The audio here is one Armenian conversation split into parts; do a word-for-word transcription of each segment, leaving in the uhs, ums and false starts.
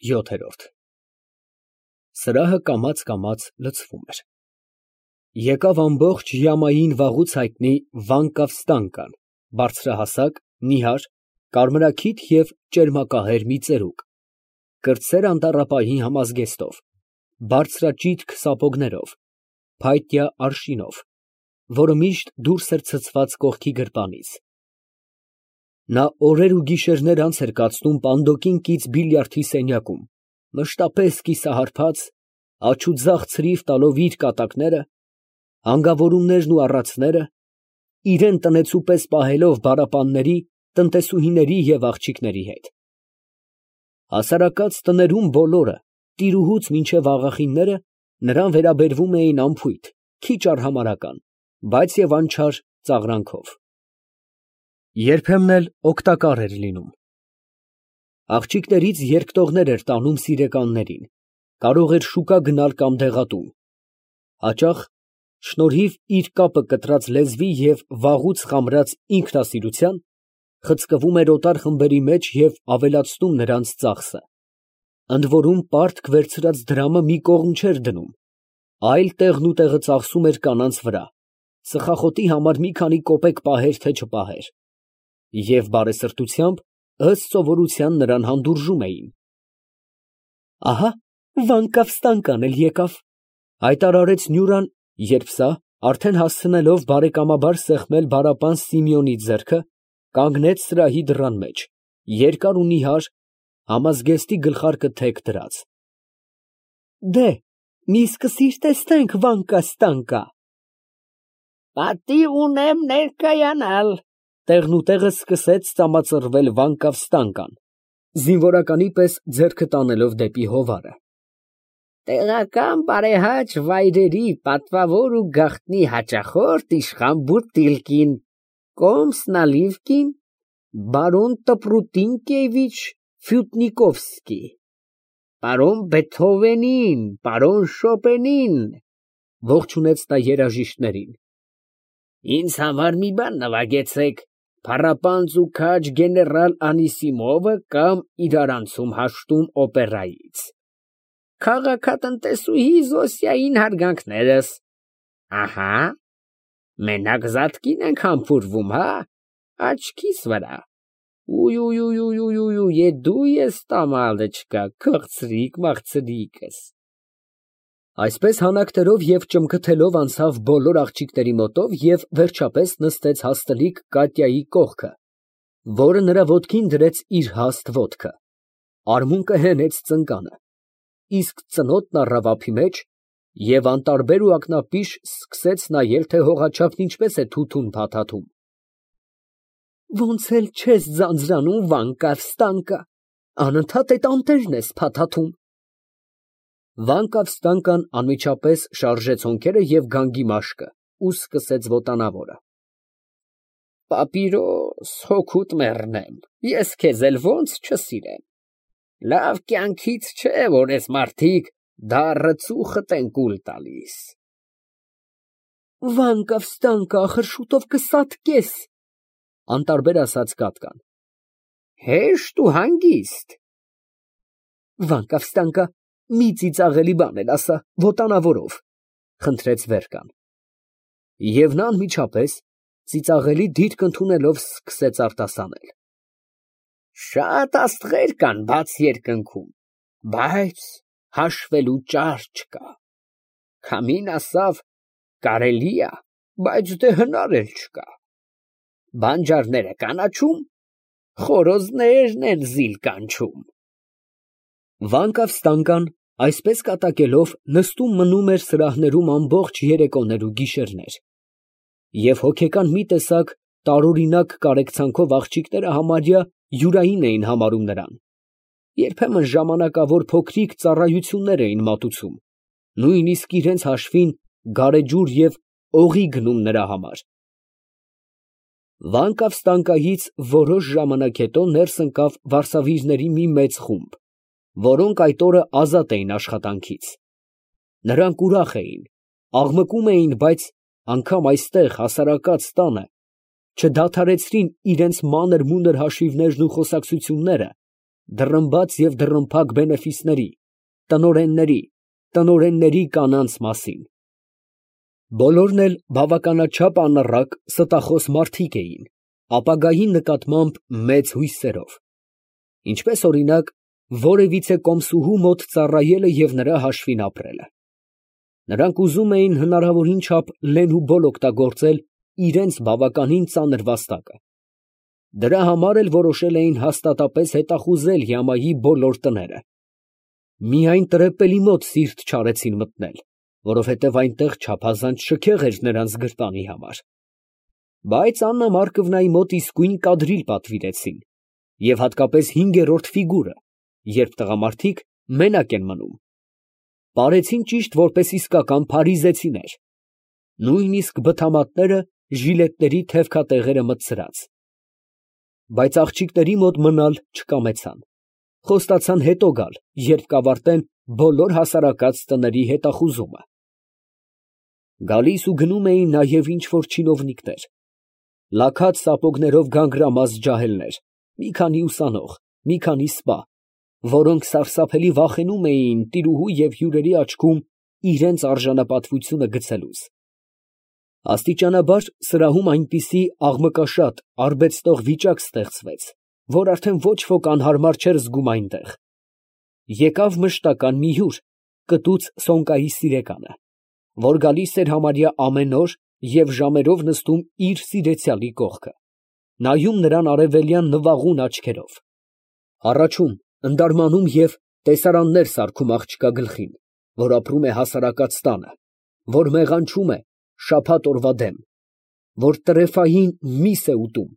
ՅՈԹԵՐՈՐԴ Սրահը կամաց֊կամաց լցվում էր։ Եկավ ամբողջ յամային վաղուց հայտնի Վանկավ֊Ստանկան, բարձրահասակ, նիհար, կարմրաքիթ և ճերմակահեր մի ծերուկ, կրտսեր անտառապահի համազգեստով, բարձրաճիտ սապոգներով, փայտյա արշինով, որը միշտ դուրս էր ցցված կողքի գրպանից։ Նա օրեր ու գիշերներ անց էր կացնում պանդոկին կից բիլիարդի սենյակում, մշտապես կիսահարբած, աջ ու ձախ ցրիվ տալով իր կատակները, հանգավորումներն ու առածները, իրան տնեցու պես պահելով բառապանների, տնտեսուհիների և աղջիկների հետ։ Հասարակած տներում բոլորը, տիրուհուց մինչև աղախինները, նրան վերաբերվում էին անփույթ, քիչ արհամարհական, բայց և անչար ծաղրանքով։ Երբեմն էլ օգտակար էր լինում։ Աղջիկներից երկտողներ էր տանում սիրեկաններին, կարող էր շուկա գնալ կամ դեղատուն։ Հաճախ, շնորհիվ իր կապը կտրած լեզվի և վաղուց խամրած ինքնասիրության, խցկվում էր օտար խմբերի մեջ և ավելացնում նրանց ծախսը, ընդորում պարտք վերցրած դրամը մի կողմ չէր դնում, այլ տեղնուտեղը ծախսում էր կանանց վրա, ծխախոտի համար մի քանի կոպեկ պահեր, թե չպահեր, և բարեսրտությամբ, ըստ սովորության, նրան հանդուրժում էին։ Ահա Վանկավ֊Ստանկան էլ եկավ, ֊ հայտարարեց Նյուրան, երբ սա, արդեն հասցնելով բարեկամաբար սեղմել բառապան Սիմեոնի ձեռքը, կանգնեց սրահի դռան մեջ, երկար ու նիհար, համազգեստի գլխարկը թեք դրած։ Դե, մի սկսիր տեսնենք, Վանկա֊Ստանկա։ Պատիվ ունեմ ներկայանալ, տեղնուտեղը սկսեց ծամածռվել Վանկավ֊Ստանկան, զինվորականի պես ձեռքը տանելով դեպի հովարը։ Տեղական բարեհաճ վայրերի պատվավոր ու գաղտնի հաճախորդ իշխան Բուտիլկին, կոմս Նալիվկին, բարոն Տպրուտինկևիչ Ֆյուտնիկովսկի, պարոն Բեթհովենին, պարոն Շոպենին, ողջունեց նա երաժիշտներին։ Ինձ համար մի բան նվագեցեք, փառապանծ ու քաջ գեներալ Անիսիմովը կամ իրարանցում հաշտում օպերայից, քաղաքատնտեսուհի Զոսիային հարգանքներս։ Ահա, մենակ Զատկին ենք համբուրվում, հա, աչքիս վրա, ույ, դու ես տամալեչկա, քղցրիկ մաղցրիկս։ Այսպես հանակտերով և ճմկթելով անցավ բոլոր աղջիկների մոտով և վերջապես նստեց հաստլիկ Կատյայի կողքը, որը նրա ոտքին դրեց իր հաստ ոտքը, արմունկը հենեց ծնկանը, իսկ ծնոտն առավ ափի մեջ և անտարբեր ու ակնապիշ սկսեց նայել, թե հողաչափն ինչպես է թութուն փաթաթում։ Ոնց էլ չես ձանձրանում, Վանկավ֊Ստանկա, անընդհատ էդ անտերն ես փաթաթում։ Վանկավ֊Ստանկան անմիջապես շարժեց հոնքերը և գանգի մաշկը ու սկսեց ոտանավորը։ Պապիրոս, հոգուդ մեռնեմ, ես քեզ էլ ոնց չսիրեմ, լավ կյանքից չէ, որ էս մարդիկ դառը ծուխդ են կուլ տալիս։ Վանկավ֊Ստանկա, ախր շուտով կսատկես, անտարբեր ասաց Կատկան։ Հեշտ ու հանգիստ։ Վանկավ֊Ստանկա, մի ծիծաղելի բան էլ ասա, ոտանավորով, խնդրեց Վերկան։ Եվ նա անմիջապես, ծիծաղելի դիրք ընդունելով, սկսեց արտասանել. Շատ աստղեր կան բաց երկնքում, բայց հաշվելու ճար չկա, քամին ասավ, կարելի ա, բայց դե հնար էլ չկա, բանջարները կանաչում, խորոզներն են զիլ կանչում։ Վանկավ֊Ստանկան, այսպես կատակելով, նստում մնում էր սրահներում ամբողջ երեկոներ ու գիշերներ, և հոգեկան մի տեսակ տարօրինակ կարեկցանքով աղջիկները համարյա յուրային էին համարում նրան, երբեմն ժամանակավոր փոքրիկ ծառայություններ էին մատուցում, նույնիսկ իրենց հաշվին գարեջուր և օղի գնում նրա համար։ Վանկավ֊Ստանկայից որոշ ժամանակ հետո ներս ընկավ վարսավիրների մի մեծ խումբ, որոնք այդ օրը ազատ էին աշխատանքից։ Նրանք ուրախ էին, աղմկում էին, բայց անգամ այստեղ հասարակած տանը չդադարեցրին իրենց մանր֊մունր հաշիվներն ու խոսակցությունները դռնբաց և դռնփակ բենեֆիսների, տնօրենների, տնօրենների կանանց մասին։ Բոլորն էլ բավականաչափ անառակ, ստախոս մարդիկ էին, ապագայի նկատմամբ մեծ հույսերով, ինչպես, օրինակ, որևիցե կոմսուհու մոտ ծառայելը և նրա հաշվին ապրելը։ Նրանք ուզում էին հնարավորին չափ լեն ու բոլ օգտագործել իրենց բավականին ծանր վաստակը։ Դրա համար էլ որոշել էին հաստատապես հետախուզել յամայի բոլոր տները։ Միայն տրեպելի մոտ սիրտ չարեցին մտնել, որովհետև այնտեղ չափազանց շքեղ էր նրանց գրպանի համար։ Բայց Աննա Մարկովնայի մոտ իսկույն կադրիլ պատվիրեցին, և հատկապես հինգերորդ ֆիգուրը, երբ տղամարդիկ մենակ են մնում, պարեցին ճիշտ որպես իսկական փարիզեցիներ, նույնիսկ բթամատները ժիլետների թևքատեղերը մտցրած։ Բայց աղջիկների մոտ մնալ չկամեցան, խոստացան հետո գալ, երբ կավարտեն բոլոր հասարակած տների հետախուզումը։ Գալիս ու գնում էին նաև ինչ֊որ չինովնիկներ, լաքած սապոգներով գանգրամած ջահելներ, մի քանի ուսանող, մի քանի սպա, որոնք սարսափելի վախենում էին տիրուհու և հյուրերի աչքում իրենց արժանապատվությունը գցելուց։ Աստիճանաբար սրահում այնպիսի աղմկաշատ, արբեցնող վիճակ ստեղծվեց, որ արդեն ոչ ոք անհարմար չէր զգում այնտեղ։ Եկավ մշտական մի հյուր, կտուց Սոնկայի սիրեկանը, որ գալիս էր համարյա ամեն օր և ժամերով նստում իր սիրեցյալի կողքը, նայում նրան արևելյան նվաղուն աչքերով, հառաչում, ընդարմանում և տեսարաններ սարքում աղջկա գլխին, որ ապրում է հասարակած տանը, որ մեղանչում է շաբաթ օրվա դեմ, որ տրեֆային միս է ուտում,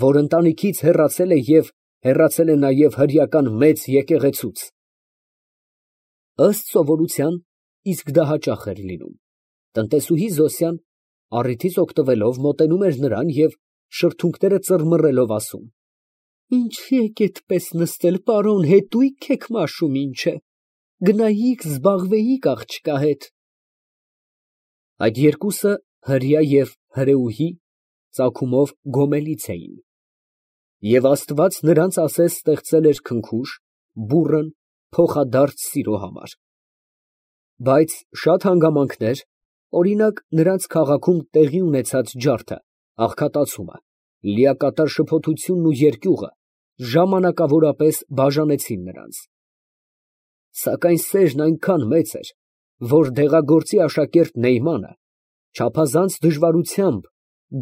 որ ընտանիքից հեռացել է և հեռացել է նաև հրեական մեծ եկեղեցուց։ Ըստ սովորության, իսկ դա հաճախ էր լինում, տնտեսուհի Զոսյան, առիթից օգտվելով, մոտենում էր նրան և շրթունքները ծռմռելով ասում. «Ինչի եք այդպես նստել, պարոն, հետո՞ւյք եք մաշում, ինչ է, գնայիք զբաղվեիք աղջկա հետ»։ Այդ երկուսը, հրեա և հրեուհի, ծագումով գոմելից էին, և աստված նրանց ասես ստեղծել էր քնքուշ, բուռն, փոխադարձ սիրո համար։ Բայց շատ հանգամանքներ, օրինակ, նրանց քաղաքում տեղի ունեցած ջարդը, աղքատացումը, լիակատար շփոթությունն ու երկյուղը ժամանակավորապես բաժանեցին նրանց։ Սակայն սերն այնքան մեծ էր, որ դեղագործի աշակերտ Նեյմանը չափազանց դժվարությամբ,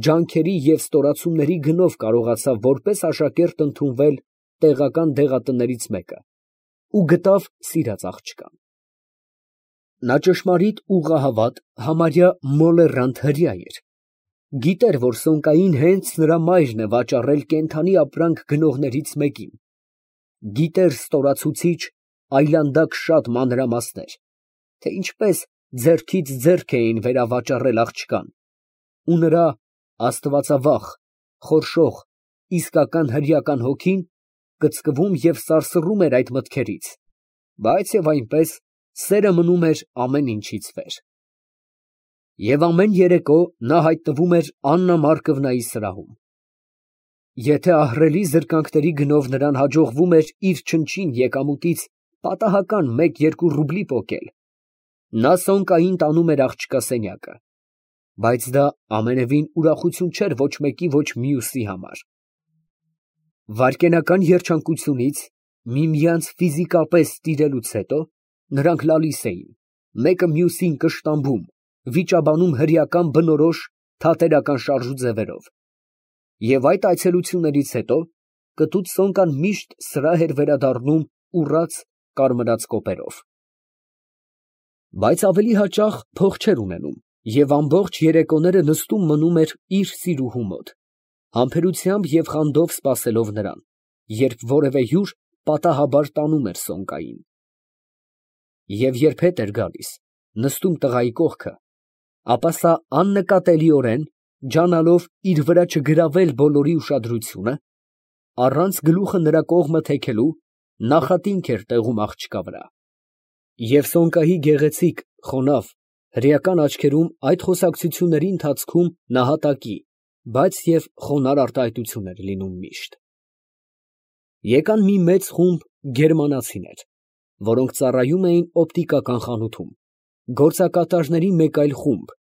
ջանքերի և ստորացումների գնով կարողացավ որպես աշակերտ ընդունվել տեղական դեղատներից մեկը ու գտավ սիրած աղջկան։ Նա ճշմարիտ ուղղահավատ, համարյա մոլեռանդ հրեա էր, գիտեր, որ Սոնկային հենց նրա մայրն է վաճառել կենդանի ապրանք գնողներից մեկին, գիտեր ստորացուցիչ, այլանդակ շատ մանրամասներ, թե ինչպես ձեռքից ձեռք էին վերավաճառել աղջկան, ու նրա աստվածավախ, խորշող, իսկական հրեական հոգին կծկվում և սարսռում էր այդ մտքերից, բայց և այնպես սերը մնում էր ամեն ինչից վեր։ Եվ ամեն երեկո նա հայտնվում էր Աննա Մարկովնայի սրահում։ Եթե ահռելի զրկանքների գնով նրան հաջողվում էր իր չնչին եկամուտից պատահական մեկ֊երկու ռուբլի պոկել, նա Սոնկային տանում էր աղջկա սենյակը, բայց դա ամենևին ուրախություն չէր ոչ մեկի, ոչ մյուսի համար։ Վայրկենական երջանկությունից, միմյանց ֆիզիկապես տիրելուց հետո, նրանք լալիս էին, մեկը մյուսին կշտամբում, վիճաբանում հրեական բնորոշ, թատերական շարժուձևերով, և այդ այցելություններից հետո կտուց Սոնկան միշտ սրահ էր վերադառնում ուռած, կարմրած կոպերով։ Բայց ավելի հաճախ փող չէր ունենում և ամբողջ երեկոները նստում մնում էր իր սիրուհու մոտ, համբերությամբ և խանդով սպասելով նրան, երբ որևէ հյուր պատահաբար տանում էր Սոնկային։ Եվ երբ հետ էր գալիս, նստում տղայի կողքը, ապա սա աննկատելիորեն, ջանալով իր վրա չգրավել բոլորի ուշադրությունը, առանց գլուխը նրա կողմը թեքելու, նախատինք էր տեղում աղջկա վրա։ Եվ Սոնկայի գեղեցիկ, խոնավ, հրեական աչքերում այդ խոսակցությունների ընթացքում նահատակի, բայց և խոնարհ արտահայտություն էր լինում միշտ։ Եկան մի մեծ խումբ գերմանացիներ, որոնք ծառայում էին օպտիկական խանութում, գործակատարների մեկ այլ խումբ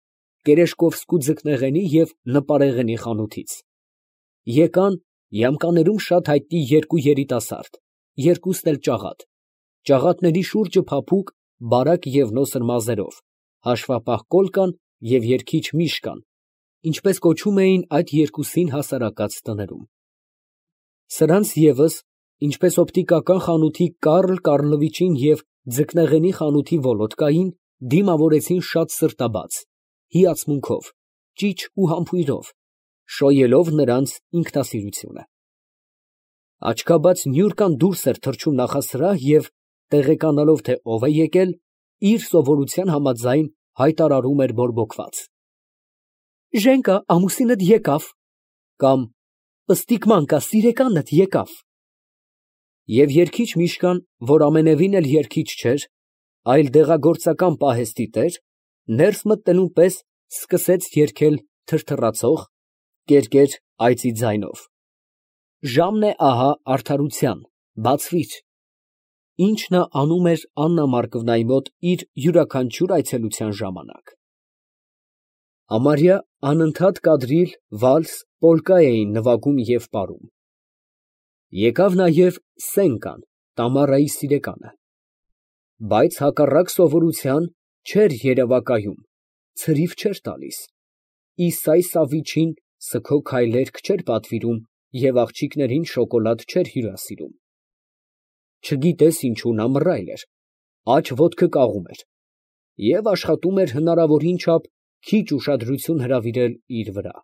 Տերեշկովսկու ձկնեղենի և նպարեղենի խանութից, եկան յամկաներում շատ հայտնի երկու երիտասարդ, երկուսն էլ ճաղատ, ճաղատների շուրջը փափուկ, բարակ և նոսր մազերով, հաշվապահ Կոլկան և երգիչ Միշկան, ինչպես կոչում էին այդ երկուսին հասարակած տներում. սրանց ևս, ինչպես օպտիկական խանութի Կարլ Կարլովիչին և ձկնեղենի խանութի Վոլոդկային, դիմավորեցին շատ սրտաբաց, հիացմունքով, ճիչ ու համբույրով, շոյելով նրանց ինքնասիրությունը։ Աչքաբաց Նյուրկան դուրս էր թռչում նախասրահ և, տեղեկանալով, թե ով է եկել, իր սովորության համաձայն հայտարարում էր բորբոքված. «Ժենկա, ամուսինդ եկավ» կամ «Պստիկ Մանկա, սիրեկանդ եկավ»։ Եվ երգիչ Միշկան, որ ամենևին էլ երգիչ չէր, այլ դեղագործական պահեստի տեր, ներս մտնելուն պես սկսեց երգել թրթռացող, կերկեր այծի ձայնով. «Ժամն է ահա արդարության, բացվիր», ինչ նա անում էր Աննա Մարկվնայի մոտ իր յուրաքանչյուր այցելության ժամանակ։ Համարյա անընդհատ կադրիլ, վալս, պոլկա էին նվագում և պարում։ Եկավ նաև Սենկան, Տամարայի սիրեկանը, բայց հակառակ սովորության չէր երևակայում, ցրիվ չէր տալիս, Իսայ Սավիչին սգո քայլերգ չէր պատվիրում և աղջիկներին շոկոլադ չէր հյուրասիրում։ Չգիտես ինչու նա մռայլ էր, աջ ոտքը կաղում էր և աշխատում էր հնարավորին չափ քիչ ուշադրություն հրավիրել իր վրա։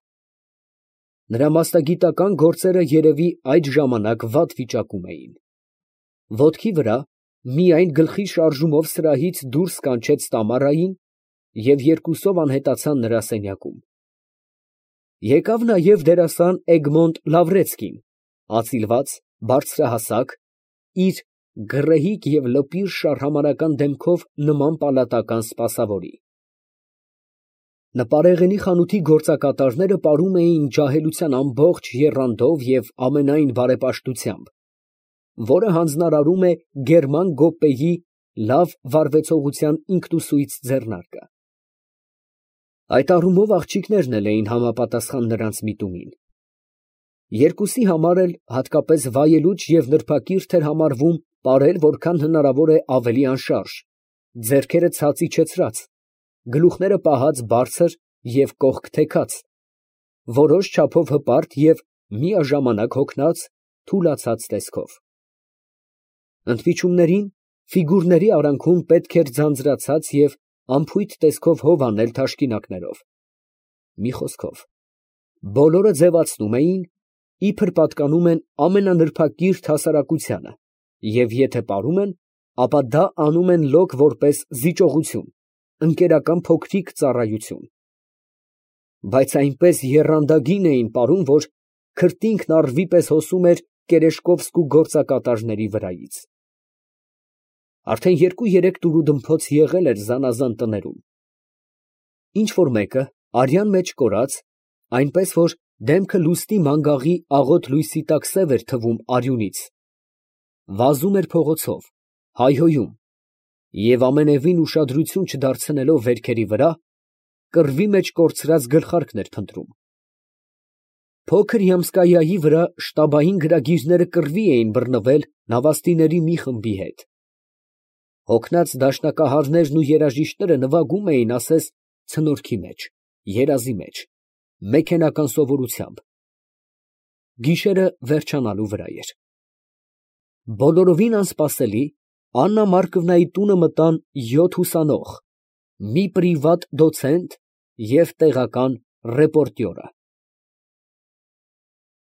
Նրա մասնագիտական գործերը երևի այդ ժամանակ վատ վիճակում էին։ Ոտքի վրա միայն գլխի շարժումով սրահից դուրս կանչեց Տամարային և երկուսով անհետացան նրա սենյակում։ Եկավ նաև դերասան Էգմոնտ Լավրեցկին, ածիլված, բարձրահասակ, իր գռեհիկ և լպիր շարհամարական դեմքով նման պալատական սպասավորի։ Նպարեղենի խանութի գործակատարները պարում էին ջահելության ամբողջ եռանդով և ամենայն բարեպաշտությամբ, որը հանձնարարում է գերման գոպեի լավ վարվեցողության ինքնուսույց ձեռնարկը։ Այդ առումով աղջիկներն էլ էին համապատասխան նրանց միտումին։ Երկուսի համար էլ հատկապես վայելուչ և նրբակիրթ էր համարվում պարել որքան հնարավոր է ավելի անշարժ, ձեռքերը ցած իջեցրած, գլուխները պահած բարձր և կողք թեքած, որոշ չափով հպարտ և միաժամանակ հոգնած, թուլացած տեսքով։ Ընդմիջումներին, ֆիգուրների արանքում պետք էր ձանձրացած և անփույթ տեսքով հով անել թաշկինակներով, մի խոսքով, բոլորը ձևացնում էին, իբր պատկանում են ամենանրբակիրթ հասարակությանը և եթե պարում են, ապա դա անում են լոկ որպես զիջողություն, ընկերական փոքրիկ ծառայություն, բայց այնպես եռանդագին էին պարում, որ քրտինքն առվի պես հոսում էր Տերեշկովսկու գործակատարների վրայից։ Արդեն երկու֊երեք տուրուդմփոց եղել էր զանազան տներում։ Ինչ֊որ մեկը, արյան մեջ կորած, այնպես որ դեմքը լուսնի մանգաղի աղոտ լույսի տակ սև էր թվում արյունից, վազում էր փողոցով, հայհոյում և ամենևին ուշադրություն չդարձնելով վերքերի վրա, կռվի մեջ կորցրած գլխարկն էր փնտրում։ Փոքր Յամսկայայի վրա շտաբային գրագիրները կռվի էին բռնվել նավաստիների մի խմբի հետ։ Հոգնած դաշնակահարներն ու երաժիշտները նվագում էին ասես ցնորքի մեջ, երազի մեջ, մեքենական սովորությամբ։ Գիշերը վերջանալու վրա էր։ Բոլորովին անսպասելի, Աննա Մարկվնայի տունը մտան յոթ ուսանող, մի պրիվատ դոցենտ և տեղական ռեպորտյորը։